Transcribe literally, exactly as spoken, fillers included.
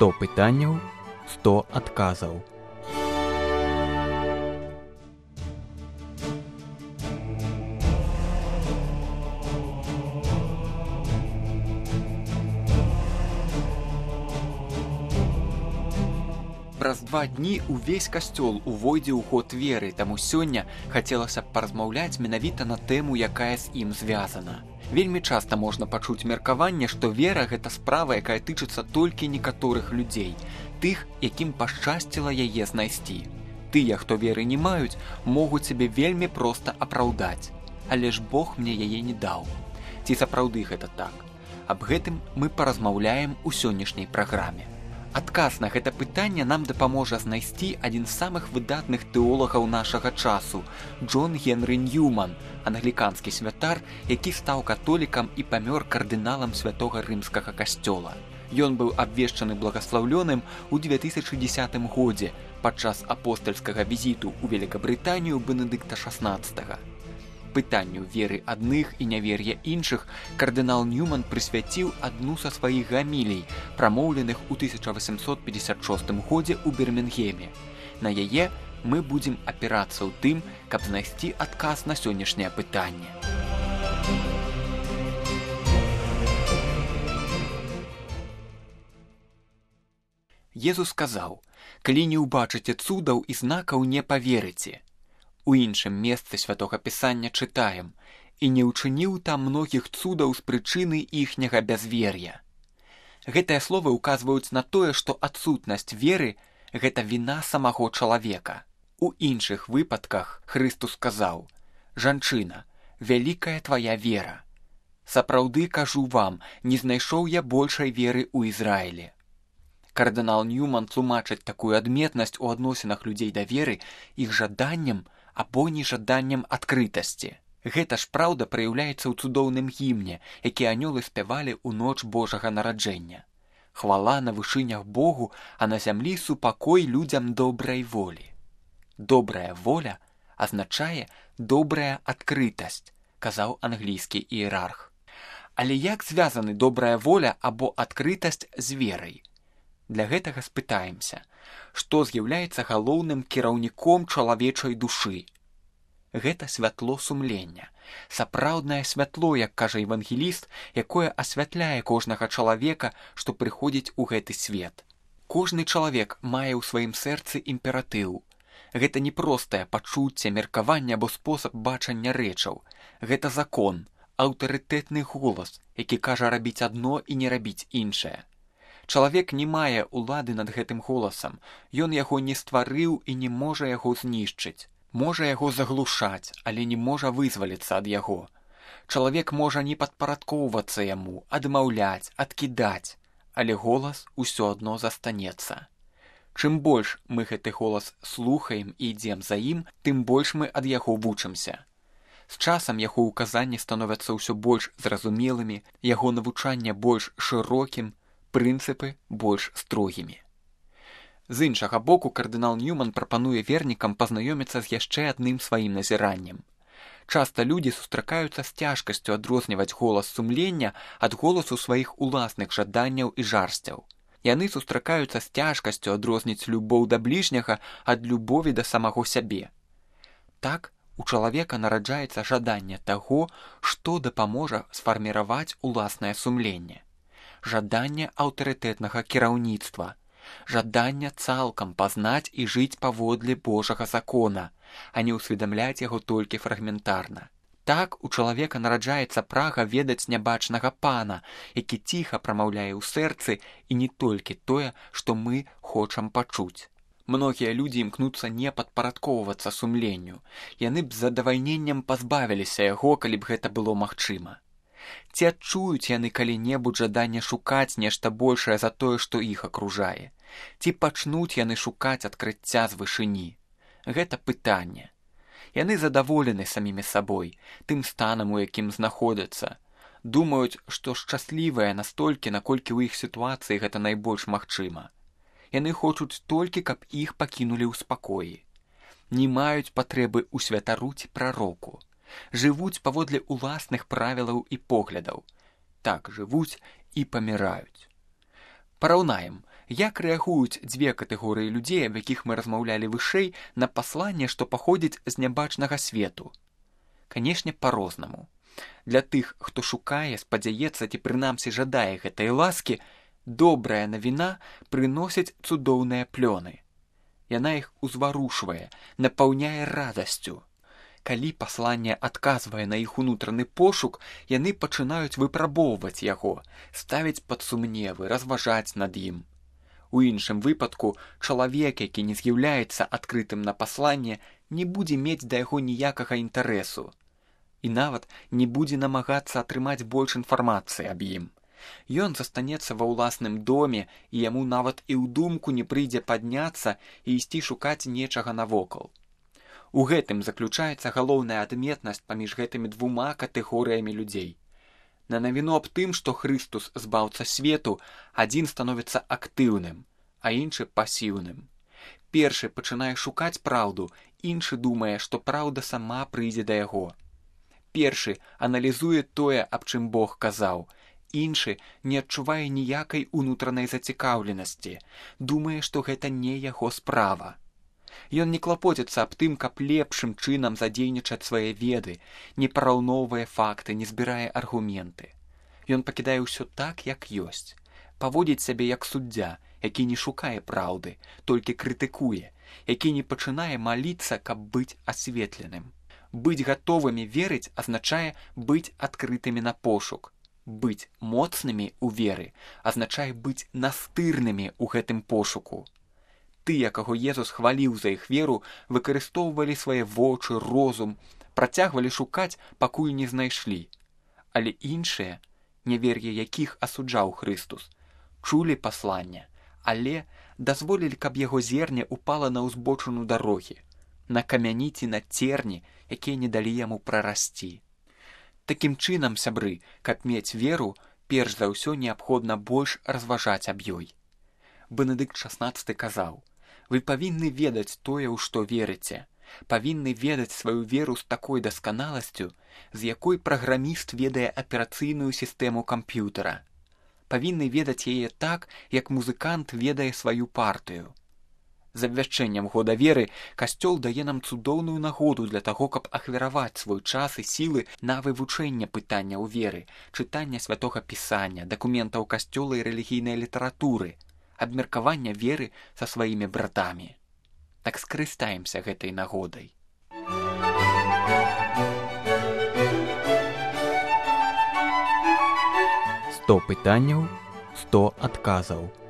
сто пытанняў, сто адказаў. Праз два дні увесь касцёл увойдзе ў ход веры, таму сёння хацелася б паразмаўляць менавіта на тэму, якая з ім звязана. Вельмі часта можна пачуць меркаванне, што вера – гэта справа, якая тычыцца толькі некаторых людзей, тых, якім пашчасціла яе знайсці. Тыя, хто веры не маюць, могуць сябе вельмі проста апраўдаць. Але ж Бог мне яе не даў. Ці сапраўды гэта так? Аб гэтым мы паразмаўляем у сённяшняй праграме. Адказ на гэта пытанне нам дапаможа знайсці адзін з самых выдатных тэолагаў нашага часу – Джон Генры Ньюман, англіканскі святар, які стаў католікам і памёр кардыналам святога рымскага касцёла. Ён быў абвешчаны благаслаўлёным у дзве тысячы дзесятым годзе падчас апостальскага візіту ў Великабрытанію Бенедыкта шаснаццатага. Пытанню веры адных і нявер'я іншых кардынал Ньюман прысвяціў адну са сваіх гамілій, прамоўленых у тысяча васемсот пятьдесят шостым годзе ў Бірмінгеме. На яе мы будзем апірацца ў тым, каб знайсці адказ на сённяшняе пытанне. Езус сказаў: «Калі не ўбачыце цудаў і знакаў, не паверыце». У іншым месцы святога пісання чытаем: «І не ўчыніў там многіх цудаў з прычыны іхняга бязвер'я». Гэтыя словы ўказваюць на тое, што адсутнасць веры – гэта віна самого чалавека. У іншых выпадках Хрыстус сказаў: «Жанчына, вялікая твая вера. Сапраўды кажу вам, не знайшоў я большай веры ў Ізраілі». Кардынал Ньюман тлумачыць такую адметнасць у адносінах людзей да веры іх жаданнем або нежаданнем адкрытасці. Гэта ж праўда праяўляецца ў цудоўным гімне, які анёлы спявалі ў ноч Божага нараджэння. Хвала на вышынях Богу, а на зямлі супакой людзям добрай волі. Добрая воля азначае добрая адкрытасць, казаў англійскі іерарх. Але як звязаны добрая воля або адкрытасць з верай? Для гэтага спытаемся, што з'яўляецца галоўным кіраўніком чалавечай душы. Гэта святло сумлення, сапраўднае святло, як кажа евангеліст, якое асвятляе кожнага чалавека, што прыходзіць у гэты свет. Кожны чалавек мае ў сваім сэрцы імператыў. Гэта не простае пачуцце, меркаванне або спосаб бачання рэчаў. Гэта закон, аўтарытэтны голас, які кажа рабіць адно і не рабіць іншае. Чалавек не мае ўлады над гэтым голасам, ён яго не стварыў і не можа яго знішчыць. Можа яго заглушаць, але не можа вызваліцца ад яго. Чалавек можа не падпарадкоўвацца яму, адмаўляць, адкідаць, але голас усё адно застанецца. Чым больш мы гэты голас слухаем і ідзем за ім, тым больш мы ад яго вучымся. З часам яго ўказанні становяцца ўсё больш зразумелымі, яго навучанне больш шырокім, прынцыпы больш строгімі. З іншага боку, кардынал Ньюман прапануе вернікам пазнаёміцца з яшчэ адным сваім назіраннем. Часта людзі сустракаюцца з цяжкасцю адрозніваць голас сумлення ад голасу сваіх уласных жаданняў і жарсцяў. Яны сустракаюцца з цяжкасцю адрозніць любоў да бліжняга ад любові да самого сябе. Так, у чалавека нараджаецца жаданне таго, што дапаможа сфарміраваць уласнае сумленне. Жаданне аўтарытэтнага кіраўніцтва, жаданне цалкам пазнаць і жыць паводле Божага закона, а не ўсведамляць яго толькі фрагментарна. Так у чалавека нараджаецца прага ведаць нябачнага пана, які ціха прамаўляе ў сэрцы і не толькі тое, што мы хочам пачуць. Многія людзі імкнуцца не падпарадкоўвацца сумленню. Яны б з задавальненнем пазбавіліся яго, калі б гэта было магчыма. Ці адчуюць яны калі-небудзь жаданне шукаць нешта большае за тое, што іх акружае? Ці пачнуць яны шукаць адкрыцця з вышыні? Гэта пытанне. Яны задаволены самімі сабой, тым станам, у якім знаходзяцца. Думаюць, што шчаслівыя настолькі, наколькі ў іх сітуацыі гэта найбольш магчыма. Яны хочуць толькі, каб іх пакінулі ў спакоі. Не маюць патрэбы ў святару ці прароку. Жывуць паводле уласных правілаў і поглядаў. Так жывуць і паміраюць. Параўнаем, Як рэагуюць дзве катэгорыі людзей, аб якіх мы размаўлялі вышэй, на пасланне, што паходзіць з нябачнага свету? Канешне, па-рознаму. Для тых, хто шукае, спадзяецца ці прынамсі жадае гэтай ласкі, добрая навіна прыносіць цудоўныя плёны. Яна іх узварушвае, напаўняе радасцю. Калі пасланне адказвае на іх унутраны пошук, яны пачынаюць выпрабоўваць яго, ставіць пад сумневы, разважаць над ім. У іншым выпадку чалавек, які не з'яўляецца адкрытым на пасланне, не будзе мець да яго ніякага інтарэсу. І нават не будзе намагацца атрымаць больш інфармацыі аб ім. Ён застанецца ва ўласным доме, і яму нават і ў думку не прыйдзе падняцца і ісці шукаць нечага навокал. У гэтым заключаецца галоўная адметнасць паміж гэтымі двума катэгорыямі людзей. На навіну аб тым, што Хрыстус збаўца свету, адзін становіцца актыўным, а іншы пасіўным. Першы пачынае шукаць праўду, іншы думае, што праўда сама прыйдзе да яго. Першы аналізуе тое, аб чым Бог казаў, іншы не адчувае ніякай унутранай зацікаўленасці, думае, што гэта не яго справа. Ён не клапоціцца аб тым, каб лепшым чынам задзейнічаць свае веды, не параўноўвае факты, не збірае аргументы. Ён пакідае ўсё так, як ёсць. Паводзіць сябе як суддзя, які не шукае праўды, толькі крытыкуе, які не пачынае маліцца, каб быць асветленым. Быць гатовымі верыць азначае быць адкрытымі на пошук. Быць моцнымі ў веры азначае быць настырнымі ў гэтым пошуку. Тыя, каго Езус хваліў за іх веру, выкарыстоўвалі свае вочы, розум, працягвалі шукаць, пакуль не знайшлі. Але іншыя, нявер'е якіх асуджаў Хрыстус, чулі пасланне, але дазволілі, каб яго зерне упала на ўзбочыну дарогі, на камяні ці на церні, якія не далі яму прарасці. Такім чынам, сябры, каб мець веру, перш за ўсё неабходна больш разважаць аб ёй. Бенедыкт шаснаццаты казаў: «Вы павінны ведаць тое, у што верыце, павінны ведаць сваю веру з такой дасканаласцю, з якой праграміст ведае аперацыйную сістэму камп'ютара. Павінны ведаць яе так, як музыкант ведае сваю партыю». З абвяшчэннем года веры Касцёл дае нам цудоўную нагоду для таго, каб ахвяраваць свой час і сілы на вывучэнне пытанняў веры, чытання святога пісання, дакументаў Касцёла і рэлігійнай літаратуры, абмеркавання веры са сваімі братамі. Так скарыстаемся гэтай нагодай. сто пытанняў, сто адказаў.